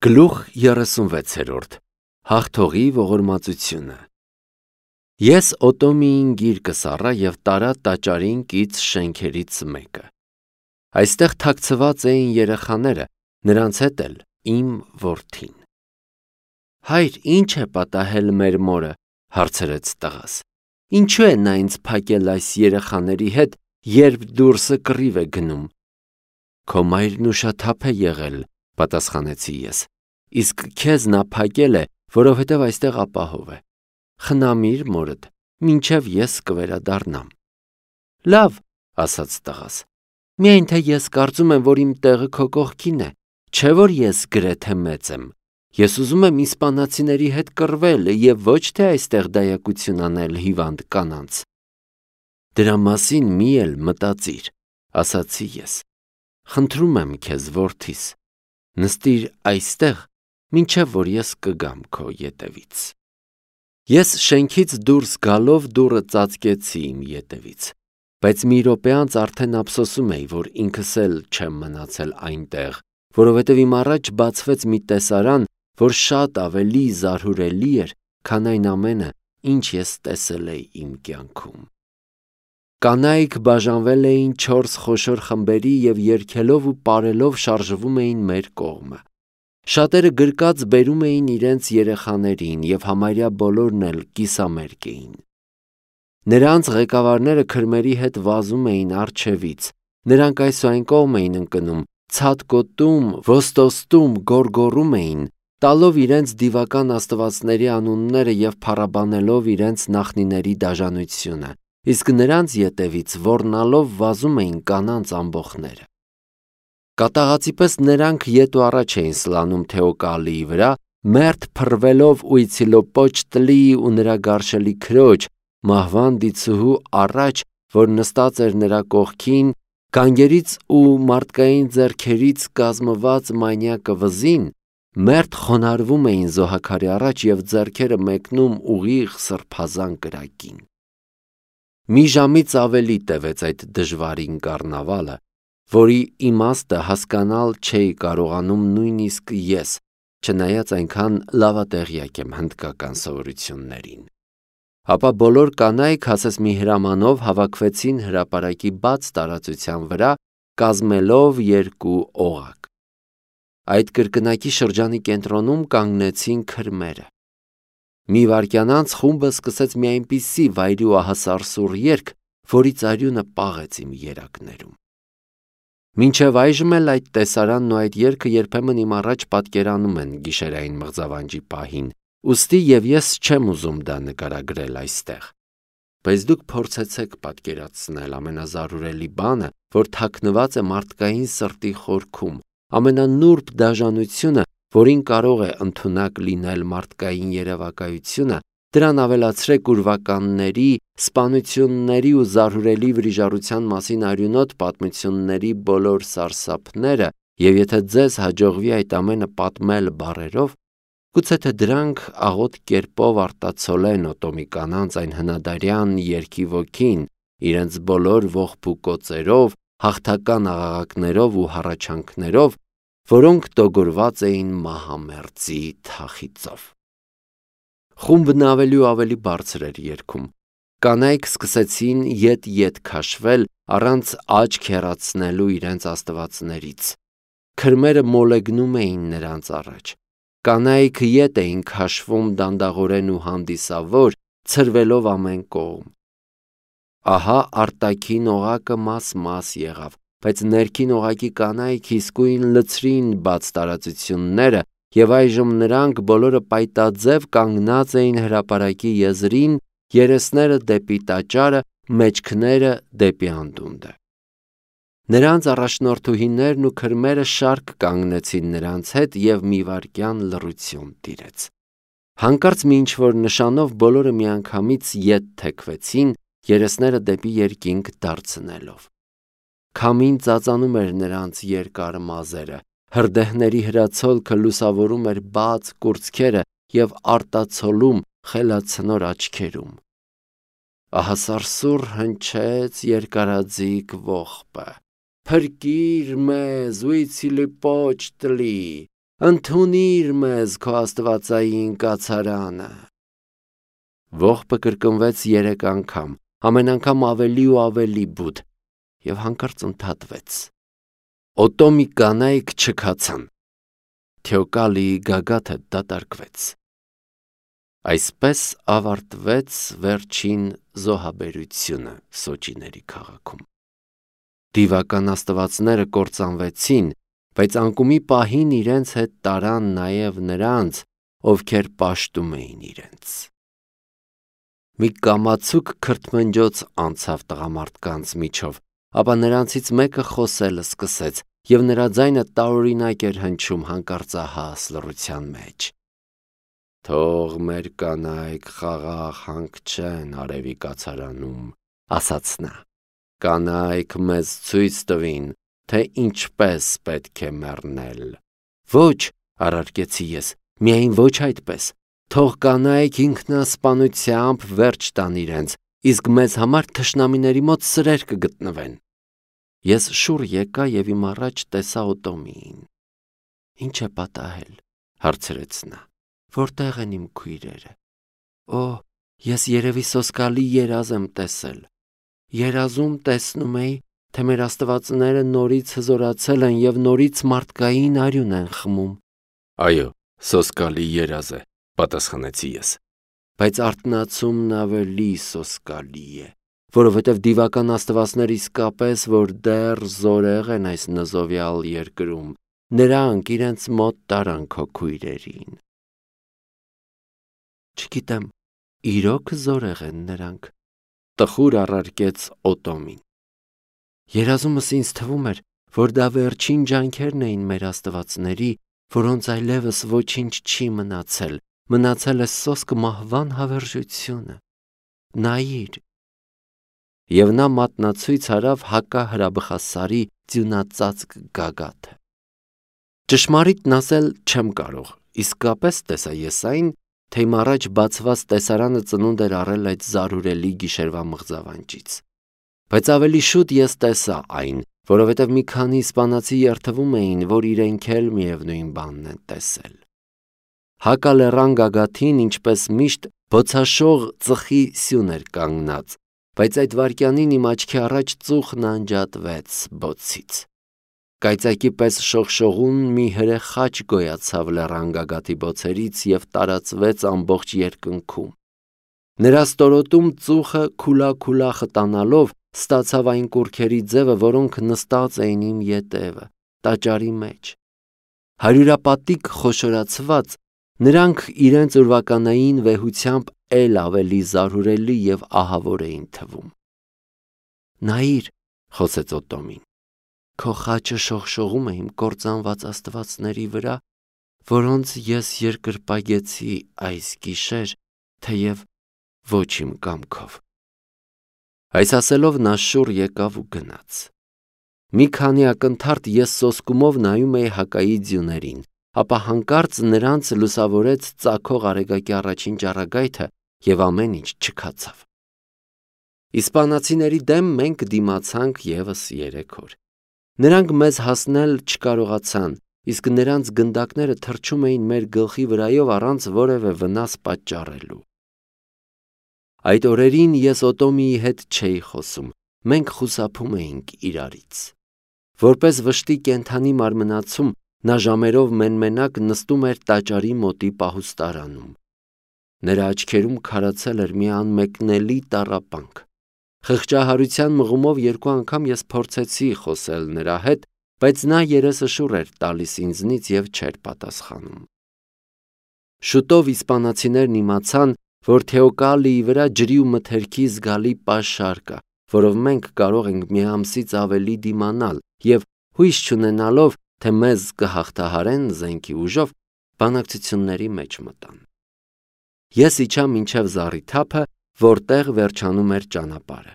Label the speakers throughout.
Speaker 1: Գլուխ 36 Հաղթողի ողորմածությունը Ես Օտոմիին գիրկը սառա և տարա տաճարին կից շենքերից մեկը։ Այստեղ թաքցված էին երեխաները, նրանց հետ էլ իմ որդին։ Հայր, ինչ է պատահել մեր մորը, հարցրեց տղաս։ Ինչու է նա ինձ փակել այս երեխաների հետ, երբ դուրսը կռիվ է գնում։ Քո մայրն ուշաթափ է եղել, պատասխանեցի ես, իսկ քեզ նա փակել է, որովհետև այստեղ ապահով է։ Խնամիր մորդ, մինչև ես կվերադառնամ։ Լավ, ասաց տղաս, միայն թե ես կարծում եմ, որ իմ տեղը քո կողքին է, չէ որ ես գրեթե մեծ եմ։ Ես ուզում եմ իսպանացիների հետ կռվել և ոչ թե այստեղ դայակություն անել հիվանդ կանանց։ Դրա մասին մի էլ մտածիր, ասացի ես։ Խնդրում եմ քեզ, որդիս, նստիր այստեղ, մինչև որ ես կգամ քո ետևից։ Ես շենքից դուրս գալով դուռը ծածկեցի իմ ետևից, բայց մի րոպե անց արդեն ափսոսում էի, որ ինքս էլ չեմ մնացել այնտեղ, որովհետև իմ առաջ բացվեց մի տեսարան, որ շատ ավելի զարհուրելի էր, քան այն ամենը, ինչ ես տեսել էի իմ կյանքում։ Կանայք բաժանվել էին 4 խոշոր խմբերի և երգելով ու պարելով շարժվում էին մեր կողմը։ Շատերը գրկած բերում էին իրենց երեխաներին և համարյա բոլորն էլ կիսամերկ էին։ Նրանց ղեկավարները քրմերի հետ վազում էին առջևից, նրանք այս ու այն կողմ էին ընկնում, ցատկոտում, ոստոստում, գոռգոռում էին, տալով իրենց դիվական աստվածների անունները և փառաբանելով իրենց նախնիների դաժանությունը, իսկ նրանց ետևից ոռնալով վազում էին կանանց ամբոխները։ Կատաղածի պես նրանք ետ ու առաջ էին սլանում Թեոկալիի վրա, մերթ փռվելով Ուիցիլոպոչտլի ու նրա գարշելի քրոջ, մահվան դիցուհու առաջ, որ նստած էր նրա կողքին, գանգերից ու մարդկային ձեռքերից կազմված մանյակը վզին, մերթ խոնարհվում էին զոհաքարի առաջ և ձեռքերը մեկնում ուղիղ սրբազան կրակին։ Մի ժամից ավելի տևեց այդ դժվարին կառնավալը, որի իմաստը հասկանալ չէի կարողանում նույնիսկ ես, չնայած այնքան լավատեղյակ եմ հնդկական սովորություններին։ Ապա բոլոր կանայք ասես մի հրամանով հավաքվեցին հրապարակի բաց տարածության վրա, կազմելով 2 օղակ։ Այդ կրկնակի շրջանի կենտրոնում կանգնեցին քրմերը։ Մի վայրկյան անց խումբը սկսեց մի այնպիսի վայրի ու ահասարսուռ երգ, որից արյունը պաղեց իմ երակներում։ Մինչև այժմ էլ այդ տեսարանն ու այդ երգը երբեմն իմ առաջ պատկերանում են գիշերային մղձավանջի պահին, ուստի և ես չեմ ուզում դա նկարագրել այստեղ։ Բայց դուք փորձեցեք պատկերացնել ամենազարուրելի բանը, որ թաքնված է մարդկային սրտի խորքում, ամենանուրբ դաժանությունը, որին կարող է ընդունակ լինել մարդկային երևակայությունը, դրան ավելացրեք ուրվականների, սպանությունների ու զարհուրելի վրիժառության մասին արյունոտ պատմությունների բոլոր սարսափները, և եթե ձեզ հաջողվի այդ ամենը պատմել բառերով, գուցե թե դրանք աղոտ կերպով արտացոլեն Օտոմի կանանց այն հնադարյան երգի ոգին, իրենց բոլոր ողբուկոծերով, հաղթական աղաղակներով ու հառաչանքներով, որոնք տոգորված էին մահամերձի թախիծով։ Խումբն ավելի ու ավելի բարձր էր երգում։ Կանայք սկսեցին ետ-ետ քաշվել, առանց աչք հեռացնելու իրենց աստվածներից։ Քրմերը մոլեգնում էին նրանց առաջ։ Կանայք ետ էին քաշվում դանդաղորեն ու հանդիսավոր, ցրվելով ամեն կողմ։ Ահա արտաքին օղակը մաս-մաս եղավ, բայց ներքին օղակի կանայք իսկույն լցրին բաց տարածությունները, և այժմ նրանք բոլորը պայտաձև կանգնած էին հրապարակի եզրին, երեսները դեպի տաճարը, մեջքները դեպի անդունդը։ Նրանց առաջնորդուհիներն ու քրմերը շարք կանգնեցին նրանց հետ և մի վայրկյան լռություն տիրեց։ Հանկարծ մի ինչ-որ նշանով բոլորը միանգամից ետ թեքվեցին, երեսները դեպի երկինք դարձնելով։ Քամին ծածանում էր նրանց երկար մազերը, հրդեհների հրացոլքը լուսավորում էր բաց կուրծքերը և արտացոլում խելացնոր աչքերում։ Ահասարսուռ հնչեց երկարաձիգ ողբը. «Փրկիր մեզ, Ուիցիլոպոչտլի, ընդունիր մեզ քո աստվածային կացարանը։ Ողբը կրկնվեց 3 անգամ, ամեն անգամ ավելի ու ավելի բութ, եւ հանկարծ ընդհատվեց։ Օտոմի կանայք չքացան։ Թեոկալիի գագաթը դատարկվեց։ Այսպես ավարտվեց վերջին զոհաբերությունը Սոճիների քաղաքում։ Դիվական աստվածները կործանվեցին, բայց անկումի պահին իրենց հետ տարան նաև նրանց, ովքեր պաշտում էին իրենց։ Մի կամացուկ քրթմնջոց անցավ տղամարդկանց միջով, ապա նրանցից մեկը խոսել սկսեց, եւ նրա ձայնը տարօրինակ էր հնչում հանկարծահաս լռության մեջ։ Թող մեր կանայք խաղաղ հանգչեն արևի կացարանում, ասաց նա։ Կանայք մեզ ցույց տվին, թե ինչպես պետք է մեռնել։ Ոչ, առարկեցի ես, միայն ոչ այդպես։ Թող կանայք ինքնասպանությամբ վերջ տան իրենց, իսկ մեզ համար թշնամիների մոտ սրեր կգտնվեն։ Ես շուռ եկա եւ իմ առաջ տեսա Օտոմիին։ Ինչ է պատահել, հարցրեց նա։ Որտեղ են իմ քույրերը։ Օ, ես երևի սոսկալի երազ եմ տեսել։ Երազում տեսնում էի, թե մեր աստվածները նորից հզորացել են եւ նորից մարդկային արյուն են խմում։ Այո, սոսկալի երազ է, պատասխանեցի ես։ Բայց արթնացումն ավելի սոսկալի է, որովհետև դիվական աստվածներ իսկապես, որ դեռ զորեղ են այս նզովյալ երկրում, նրանք իրենց մոտ տարան քո քույրերին։ Չգիտեմ, իրոք զորեղ են նրանք, տխուր առարկեց Օտոմին։ Երազումս ինձ թվում էր, որ դա վերջին ջանքերն էին մեր աստվածների, որոնց այլևս ոչինչ չի մնացել, մնացել է սոսկ մահվան հավերժությունը։ Նայիր։ Եվ նա մատնացույց արավ հակահրաբխասարի ձյունածածկ գագաթը։ Ճշմարիտն ասել չեմ կարող, իսկապես տեսա ես այն, թե իմ առաջ բացված տեսարանը ծնունդ էր առել այդ զարհուրելի գիշերվա մղձավանջից։ Բայց ավելի շուտ ես տեսա այն, որովհետև մի քանի իսպանացի երթվում էին, որ իրենք էլ միևնույն բանն են տեսել։ Հակալեռան գագաթին, ինչպես միշտ, բոցաշող ծխի սյուն էր կանգնած, բայց այդ վայրկյանին իմ աչքի առաջ ծուխն անջատվեց բոցից։ Կայծակի պես շողշողուն մի հրե խաչ գոյացավ լեռան գագաթի բոցերից և տարածվեց ամբողջ երկնքում։ Նրա ստորոտում ծուխը քուլա խտանալով ստացավ այն կուռքերի ձևը, որոնք նստած էին իմ ետևը, տաճարի մեջ։ Հարյուրապատիկ խոշորացված, նրանք իրենց ուրվականային վեհությամբ էլ ավելի զարհուրելի և ահավոր էին թվում։ Նայիր, խոսեց Օտոմին, քո խաչը շողշողում է իմ կործանված աստվածների վրա, որոնց ես երկրպագեցի այս գիշեր, թեև ոչ իմ կամքով։ Այս ասելով նա շուռ եկավ ու գնաց։ Մի քանի ակնթարթ ես սոսկումով նայում էի հակայի ձյուներին, ապա հանկարծ նրանց լուսավորեց ծագող արեգակի առաջին ճառագայթը և ամեն ինչ չքացավ։ Իսպանացիների դեմ մենք դիմացանք ևս 3 օր։ Նրանք մեզ հասնել չկարողացան, իսկ նրանց գնդակները թռչում էին մեր գլխի վրայով առանց որևէ վնաս պատճառելու։ Այդ օրերին ես Օտոմիի հետ չէի խոսում, մենք խուսափում էինք իրարից։ Որպես վշտի կենդանի մարմնացում, նա ժամերով մենմենակ նստում էր տաճարի մոտի պահուստարանում։ Նրա աչքերում քարացել էր մի անմեկնելի տառապանք։ Խղճահարության մղումով 2 անգամ ես փորձեցի խոսել նրա հետ, բայց նա երեսը շուռ էր տալիս ինձնից և չէր պատասխանում։ Շուտով իսպանացիներն իմացան, որ Թեոկալիի վրա ջրի ու մթերքի զգալի պաշար կա, որով մենք կարող ենք մի ամսից ավելի դիմանալ և հույս չունենալով, թե մեզ կհաղթահարեն զենքի ուժով, բանակցությունների մեջ մտան։ Ես իջա մինչև զառիթափը, որտեղ վերջանում էր ճանապարհը։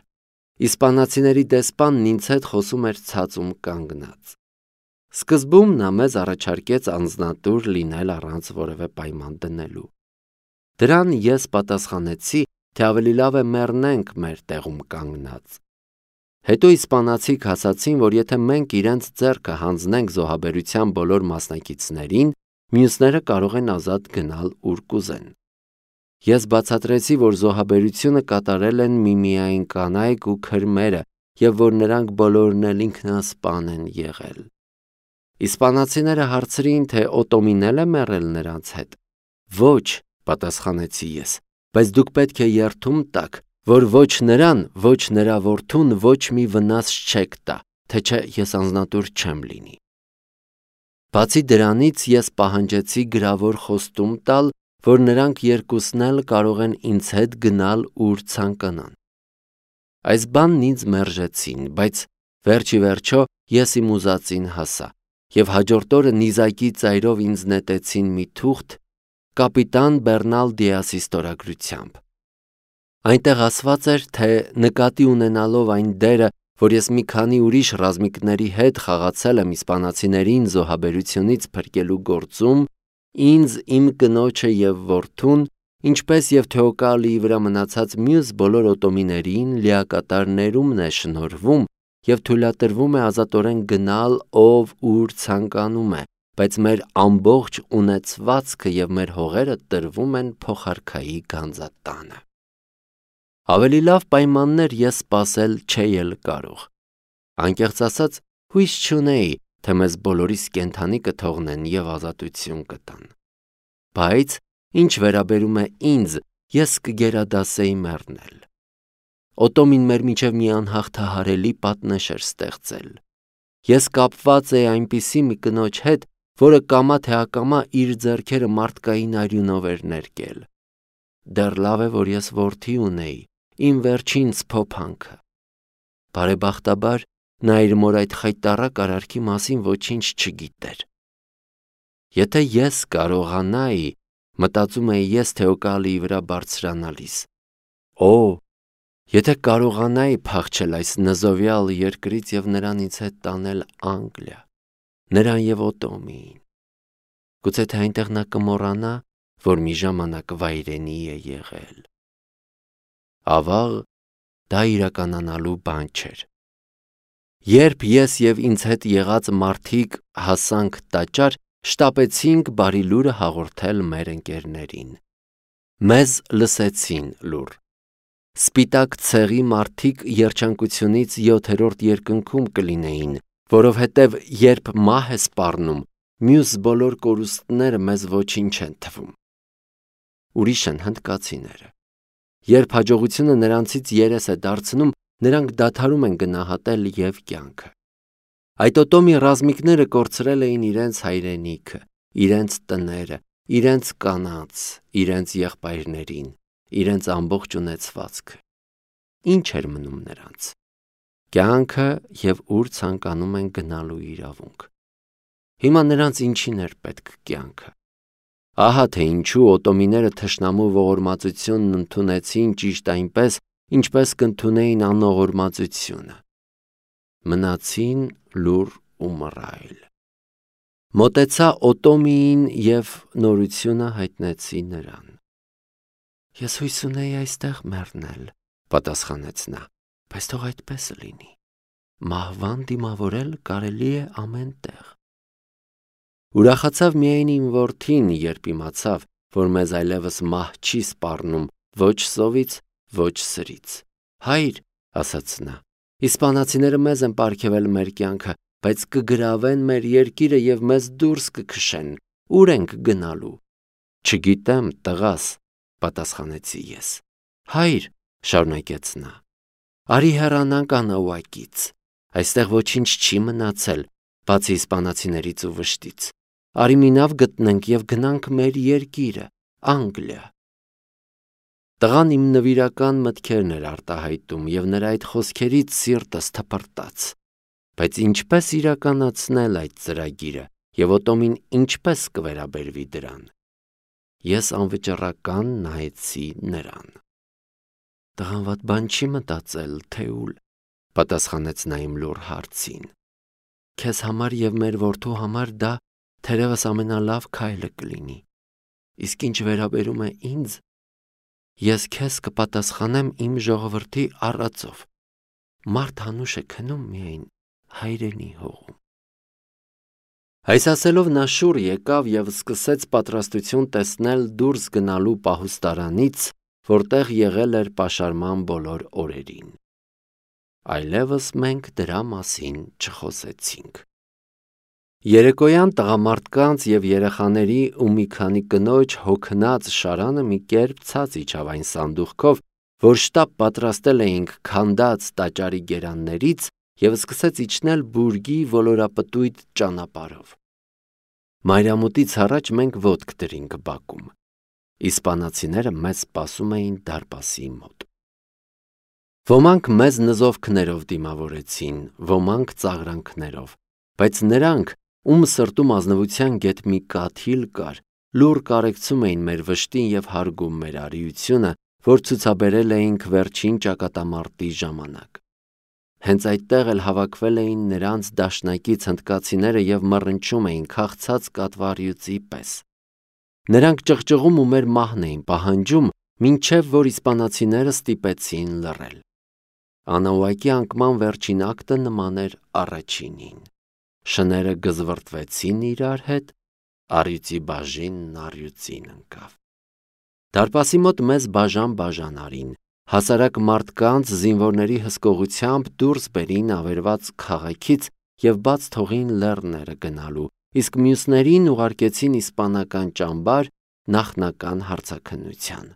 Speaker 1: Իսպանացիների դեսպանն ինձ հետ խոսում էր ցածում կանգնած։ Սկզբում նա մեզ առաջարկեց անձնատուր լինել առանց որևէ պայման դնելու։ Դրան ես պատասխանեցի, թե ավելի լավ է մեռնենք մեր տեղում կանգնած։ Հետո իսպանացիք ասացին, որ եթե մենք իրենց ձեռքը հանձնենք զոհաբերության բոլոր մասնակիցներին, մյուսները կարող են ազատ գնալ ուր կուզեն։ Ես բացատրեցի, որ զոհաբերությունը կատարել են միմիայն կանայք ու քրմերը և որ նրանք բոլորն էլ ինքնասպան են եղել։ Իսպանացիները հարցրին, թե Օտոմին էլ է մեռել նրանց հետ։ Ոչ, պատասխանեցի ես, բայց դուք պետք է երդում տաք, որ ոչ նրան, ոչ նրա որդուն ոչ մի վնաս չեք տա, թե չէ ես անձնատուր չեմ լինի։ Բացի դրանից ես պահանջեցի գրավոր խոստում տալ, որ նրանք երկուսն էլ կարող են ինձ հետ գնալ ուր ցանկանան։ Այս բանն ինձ մերժեցին, բայց վերջի վերջո ես իմ ուզածին հասա, և հաջորդ օրը նիզակի ծայրով ինձ նետեցին մի թուղթ կապիտան Բեռնալ Դիասի ստորագրությամբ։ Այնտեղ ասված էր, թե նկատի ունենալով այն դերը, որ ես մի քանի ուրիշ ռազմիկների հետ խաղացել եմ իսպանացիներին զոհաբերությունից փրկելու գործում, ինձ, իմ կնոջը և որդուն, ինչպես և Թեոկալիի վրա մնացած մյուս բոլոր օտոմիներին լիակատար ներումն է շնորհվում և թույլատրվում է ազատորեն գնալ ով ուր ցանկանում է, բայց մեր ամբողջ ունեցվածքը և մեր հողերը տրվում են փոխարքայի գանձատանը։ Ավելի լավ պայմաններ ես սպասել չէի էլ կարող։ Անկեղծ ասած, հույս չունեի, թե մեզ բոլորիս կենդանի կթողնեն և ազատություն կտան։ Բայց ինչ վերաբերում է ինձ, ես կգերադասեի մեռնել։ Օտոմին մեր միջև մի անհաղթահարելի պատնեշ էր ստեղծել։ Ես կապված էի այնպիսի մի կնոջ հետ, որը կամա թե ակամա իր ձեռքերը մարդկային արյունով էր ներկել։ Դեռ լավ է, որ ես որդի ունեի, իմ վերջին սփոփանքը։ Բարեբախտաբար, նա իր մոր այդ խայտառակ արարքի մասին ոչինչ չգիտեր։ Եթե ես կարողանայի, մտածում էի ես Թեոկալիի վրա բարձրանալիս, եթե կարողանայի փախչել այս նզովյալ երկրից և նրան ինձ հետ տանել Անգլիա, նրան և Օտոմիին, գուցե թե այնտեղ նա կմոռանա, որ մի ժամանակ վայրենի է եղել։ Ավաղ, դա իրականանալու բան չէր։ Երբ ես և ինձ հետ եղած մարդիկ հասանք տաճար, շտապեցինք բարի լուրը հաղորդել մեր ընկերներին։ Մեզ լսեցին լուռ։ Սպիտակ ցեղի մարդիկ երջանկությունից 7-րդ երկնքում կլինեին, որովհետև երբ մահ է սպառնում, մյուս բոլոր կորուստները մեզ ոչինչ են թվում։ Ուրիշ են հնդկացիները։ Երբ հաջողությունը նրանցից երես է դարձնում, նրանք դադարում են գնահատել և կյանքը։ Այդ Օտոմի ռազմիկները կորցրել էին իրենց հայրենիքը, իրենց տները, իրենց կանանց, իրենց եղբայրներին, իրենց ամբողջ ունեցվածքը։ Ինչ էր մնում նրանց։ Կյանքը և ուր ցանկանում են գնալու իրավունք։ Հիմա նրանց ինչին էր պետք կյանքը։ Ահա թե ինչու օտոմիները թշնամու ողորմածությունն ընդունեցին ճիշտ այնպես, ինչպես կընդունեին անողորմածությունը։ Մնացին լուռ ու մռայլ։ Մոտեցա Օտոմիին և նորությունը հայտնեցի նրան։ Ես հույս ունեի այստեղ մեռնել, պատասխանեց նա, բայց թող այդպես լինի։ Մահվան դիմավորել կարելի է ամեն տեղ։ Ուրախացավ միայն իմ որդին, երբ իմացավ, որ մեզ այլևս մահ չի սպառնում ոչ սովից, ոչ սրից։ Հայր, ասաց նա, իսպանացիները մեզ են պարգևել մեր կյանքը, բայց կգրավեն մեր երկիրը և մեզ դուրս կքշեն։ Ուր ենք գնալու։ Չգիտեմ, տղաս, պատասխանեցի ես։ Հայր, շարունակեց նա, արի հեռանանք անաուակից։ Այստեղ ոչինչ չի մնացել, բացի իսպանացիներից ու վշտից։ Արի մի նավ գտնենք և գնանք մեր երկիրը, Անգլիա։ Տղան իմ նվիրական մտքերն էր արտահայտում և նրա այդ խոսքերից սիրտս թպրտաց։ Բայց ինչպես իրականացնել այդ ծրագիրը և Օտոմին ինչպես կվերաբերվի դրան։ Ես անվճռական նայեցի նրան։ Տղան վատ բան չի մտածել, թե ուլ, պատասխանեց նա իմ լուռ հարցին։ Քեզ համար և մեր որդու համար դա թերևս ամենալավ քայլը կլինի։ Իսկ ինչ վերաբերում է ինձ, ես քեզ կպատասխանեմ իմ ժողովրդի առածով։ Մարդ հանուշ է քնում միայն հայրենի հողում։ Այս ասելով նա շուռ եկավ և սկսեց պատրաստություն տեսնել դուրս գնալու պահուստարանից, որտեղ եղել էր պաշարման բոլոր օրերին։ Այլևս մենք դրա մասին չխոսեցինք։ Երեկոյան տղամարդկանց և երեխաների ու մի քանի կնոջ հոգնած շարանը մի կերպ ցած իջավ այն սանդուղքով, որ շտապ պատրաստել էինք քանդած տաճարի գերաններից, և սկսեց իջնել բուրգի ոլորապտույտ ճանապարհով։ Մայրամուտից առաջ մենք ոտք դրինք բակում։ Իսպանացիները մեզ սպասում էին դարպասի մոտ։ Ոմանք մեզ նզովքներով դիմավորեցին, ոմանք ծաղրանքներով, բայց նրանք, ում սրտում ազնվության գեթ մի կաթիլ կար, լուռ կարեկցում էին մեր վշտին և հարգում մեր արիությունը, որ ցուցաբերել էինք վերջին ճակատամարտի ժամանակ։ Հենց այդտեղ էլ հավաքվել էին նրանց դաշնակից հնդկացիները և մռնչում էին քաղցած կատվառյուծի պես։ Նրանք ճղճղում ու մեր մահն էին պահանջում, մինչև որ իսպանացիները ստիպեցին լռել։ Անուղակի անկման վերջին ակտը նման էր առաջինին։ Շները գզվռտվեցին իրար հետ, առյուծի բաժինն առյուծին ընկավ։ Դարպասի մոտ մեզ բաժան արին, հասարակ մարդկանց զինվորների հսկողությամբ դուրս բերին ավերված քաղաքից և բաց թողին լեռները գնալու, իսկ մյուսներին ուղարկեցին իսպանական ճամբար նախնական հարցաքննության։